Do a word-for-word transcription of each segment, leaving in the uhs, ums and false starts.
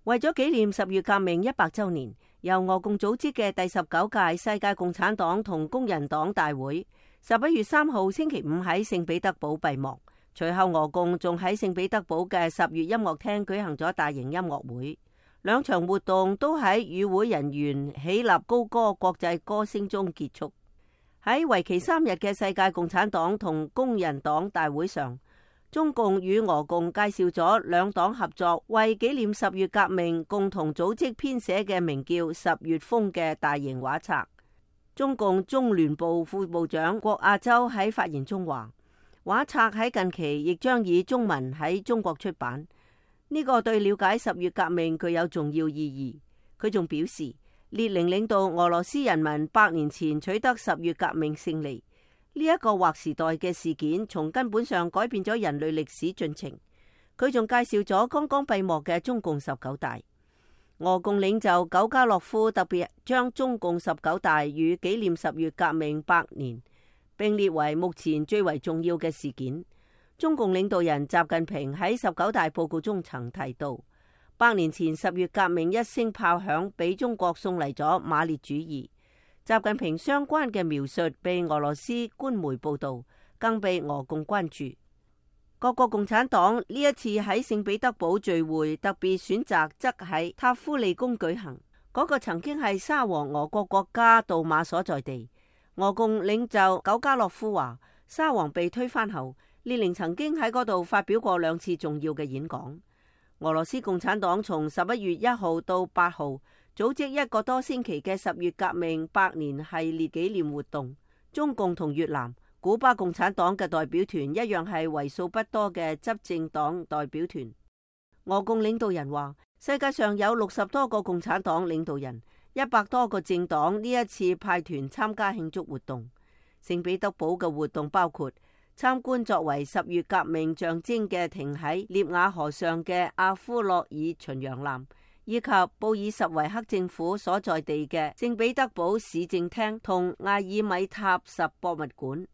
為咗紀念十月革命一百周年，由俄共組織嘅第十九屆世界共產黨同工人黨大會，十一月三號星期五喺聖彼得堡閉幕。隨後俄共仲喺聖彼得堡嘅十月音樂廳舉行咗大型音樂會，兩場活動都喺與會人員起立高歌國際歌聲中結束。喺為期三日嘅世界共產黨同工人黨大會上，中共與俄共介紹咗兩黨合作為紀念十月革命共同組織編寫嘅名叫《十月風》嘅大型畫冊。中共中聯部副部長郭亞洲喺發言中話，畫冊喺近期亦將以中文喺中國出版，呢、這個對了解十月革命具有重要意義。佢仲表示，列寧領導俄羅斯人民百年前取得十月革命勝利，呢、這、一個劃時代嘅事件，從根本上改變咗人類歷史進程。佢仲介紹咗剛剛閉幕嘅中共十九大。俄共領袖苟加洛夫特別將中共十九大與紀念十月革命百年並列為目前最為重要嘅事件。中共領導人習近平喺十九大報告中曾提到，百年前十月革命一聲炮響，俾中國送嚟咗馬列主義。習近平相關嘅描述被俄羅斯官媒報道，更被俄共關注。各國共產黨呢一次喺聖彼得堡聚會，特別選擇則喺塔夫利宮舉行，嗰、那個曾經係沙皇俄國國家杜馬所在地。俄共領袖苟加洛夫話，沙皇被推翻後，列寧曾經喺嗰度發表過兩次重要嘅演講。俄羅斯共產黨從十一月一號到八號組織一個多星期嘅十月革命百年系列紀念活動。中共同越南、古巴共產黨嘅代表團一樣係為數不多嘅執政黨代表團。俄共領導人話，世界上有六十多個共產黨領導人，一百多個政黨呢一次派團參加慶祝活動。聖彼得堡嘅活動包括參觀作為十月革命象徵嘅停喺涅瓦河上嘅阿夫洛爾巡洋艦，以及布爾什維克政府所在地嘅聖彼得堡市政廳同艾爾米塔什博物館。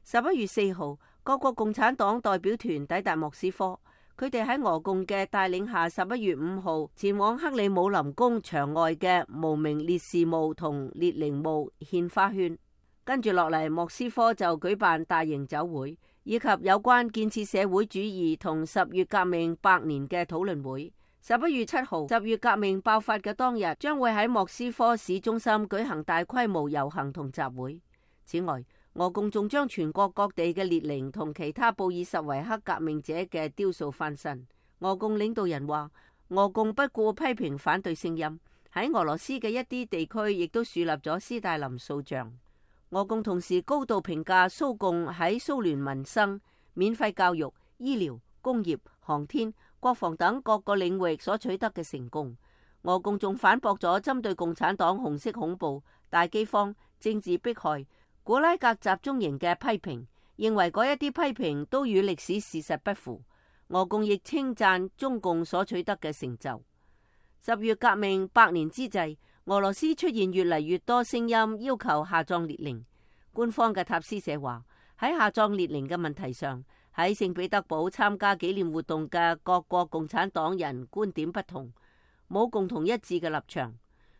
十一月四號，各國共產黨代表團抵達莫斯科，佢哋喺俄共嘅帶領下，十一月五號前往克里姆林宮牆外嘅無名烈士墓同列寧墓獻花圈。跟住落嚟，莫斯科就舉辦大型酒會，以及有關建設社會主義同十月革命百年嘅討論會。十一月七號，十月革命爆發嘅當日，將會喺莫斯科市中心舉行大規模遊行同集會。此外，俄共仲將全國各地嘅列寧同其他布爾什維克革命者嘅雕塑翻新。俄共領導人話，俄共不顧批評反對聲音，喺俄羅斯嘅一啲地區亦都樹立咗斯大林塑像。俄共同時高度評價蘇共喺蘇聯民生、免費教育、醫療、工業、航天、國防等各個領域所取得嘅成功。俄共仲反駁咗針對共產黨紅色恐怖、大饑荒、政治迫害、古拉格集中營嘅批評，認為嗰一啲批評都與歷史事實不符。俄共亦稱讚中共所取得嘅成就。十月革命百年之際，俄羅斯出現越嚟越多聲音要求下葬列寧。官方嘅塔斯社話，喺下葬列寧嘅問題上，喺聖彼得堡參加紀念活動嘅各國共產黨人觀點不同，冇共同一致嘅立場。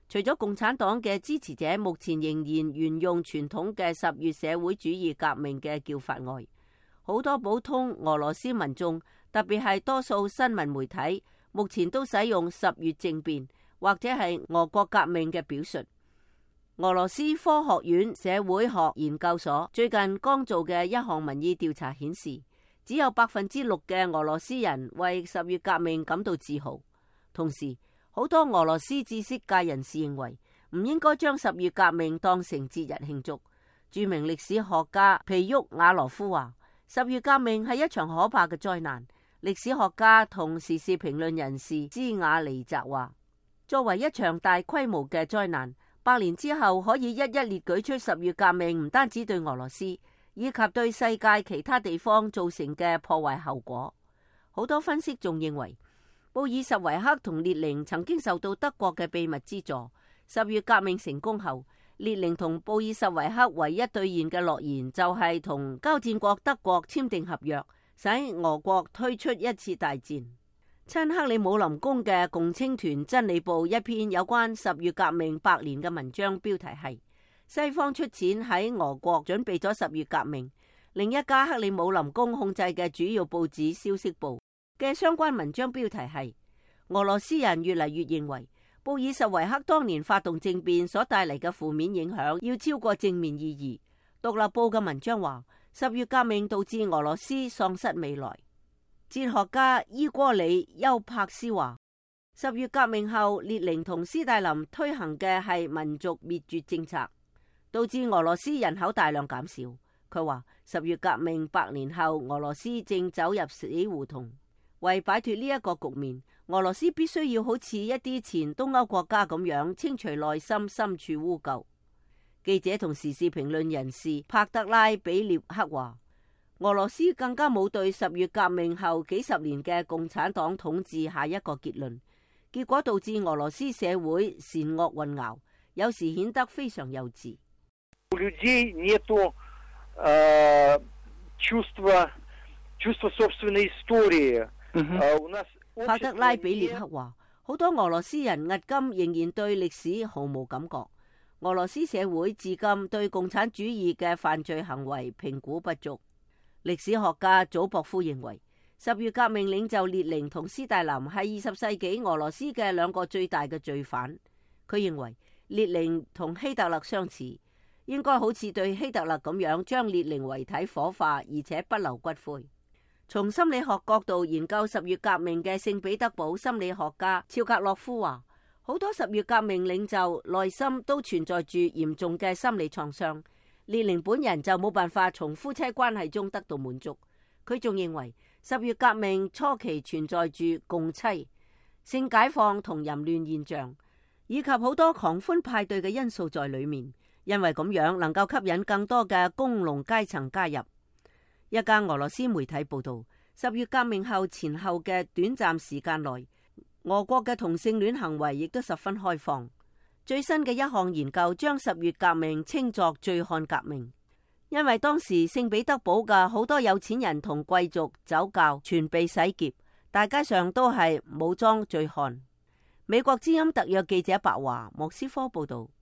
除咗共產黨嘅支持者目前仍然沿用傳統嘅十月社會主義革命嘅叫法外，好多普通俄羅斯民眾，特別係多數新聞媒體，目前都使用十月政變或者係俄國革命嘅表述。俄羅斯科學院社會學研究所最近剛做嘅一項民意調查顯示，只有百分之六嘅俄羅斯人為十月革命感到自豪。同時，好多俄羅斯知識界人士認為唔應該將十月革命當成節日慶祝。著名歷史學家皮沃瓦羅夫話，十月革命係一場可怕嘅災難。歷史學家同時事評論人士茲瓦尼澤話，作為一場大規模嘅災難，百年之後可以一一列舉出十月革命唔單止對俄羅斯，以及對世界其他地方造成嘅破壞後果。好多分析仲認為，布爾什維克同列寧曾經受到德國嘅秘密資助。十月革命成功後，列寧同布爾什維克唯一兌現嘅諾言就係同交戰國德國簽訂合約，使俄國退出一次大戰。親克里姆林宮嘅共青團真理報一篇有關十月革命百年嘅文章，標題係西方出錢喺俄國準備咗十月革命。另一家克里姆林宮控制嘅主要報紙消息報嘅相關文章標題係俄羅斯人越嚟越認為布爾什維克當年發動政變所帶嚟嘅負面影響要超過正面意義。獨立報嘅文章話十月革命導致俄羅斯喪失未來。哲學家伊戈里丘柏斯話十月革命後列寧同斯大林推行嘅係民族滅絕政策，導致俄羅斯人口大量減少。佢話十月革命百年後俄羅斯正走入死胡同，為擺脫呢一個局面，俄羅斯必須要好似一啲前東歐國家咁樣清除內心深處污垢。記者同時事評論人士帕德拉比列克話俄羅斯更加冇對十月革命後幾十年嘅共產黨統治下一個結論，結果導致俄羅斯社會善惡混淆，有時顯得非常幼稚。帕德拉比列克話好多俄羅斯人迄今仍然對歷史毫無感覺，俄羅斯社會至今對共產主義嘅犯罪行為評估不足。歷史學家祖博夫認為，十月革命領袖列寧同斯大林係二十世紀俄羅斯嘅兩個最大嘅罪犯。佢認為列寧同希特勒相似，應該好似對希特勒咁樣將列寧遺體火化，而且不留骨灰。從心理學角度研究十月革命嘅聖彼得堡心理學家肖格洛夫話，好多十月革命領袖內心都存在住嚴重嘅心理創傷。列寧本人就冇辦法從夫妻關係中得到滿足。佢仲認為十月革命初期存在住共妻、性解放同淫亂現象，以及好多狂歡派對嘅因素在裏面，因為咁樣能夠吸引更多嘅工農階層加入。一家俄羅斯媒體報道，十月革命後前後嘅短暫時間內，俄國嘅同性戀行為亦都十分開放。最新嘅一項研究將十月革命稱作醉漢革命，因為當時聖彼得堡嘅好多有錢人同貴族酒窖全被洗劫，大街上都係武裝醉漢。美國之音特約記者白華莫斯科報道。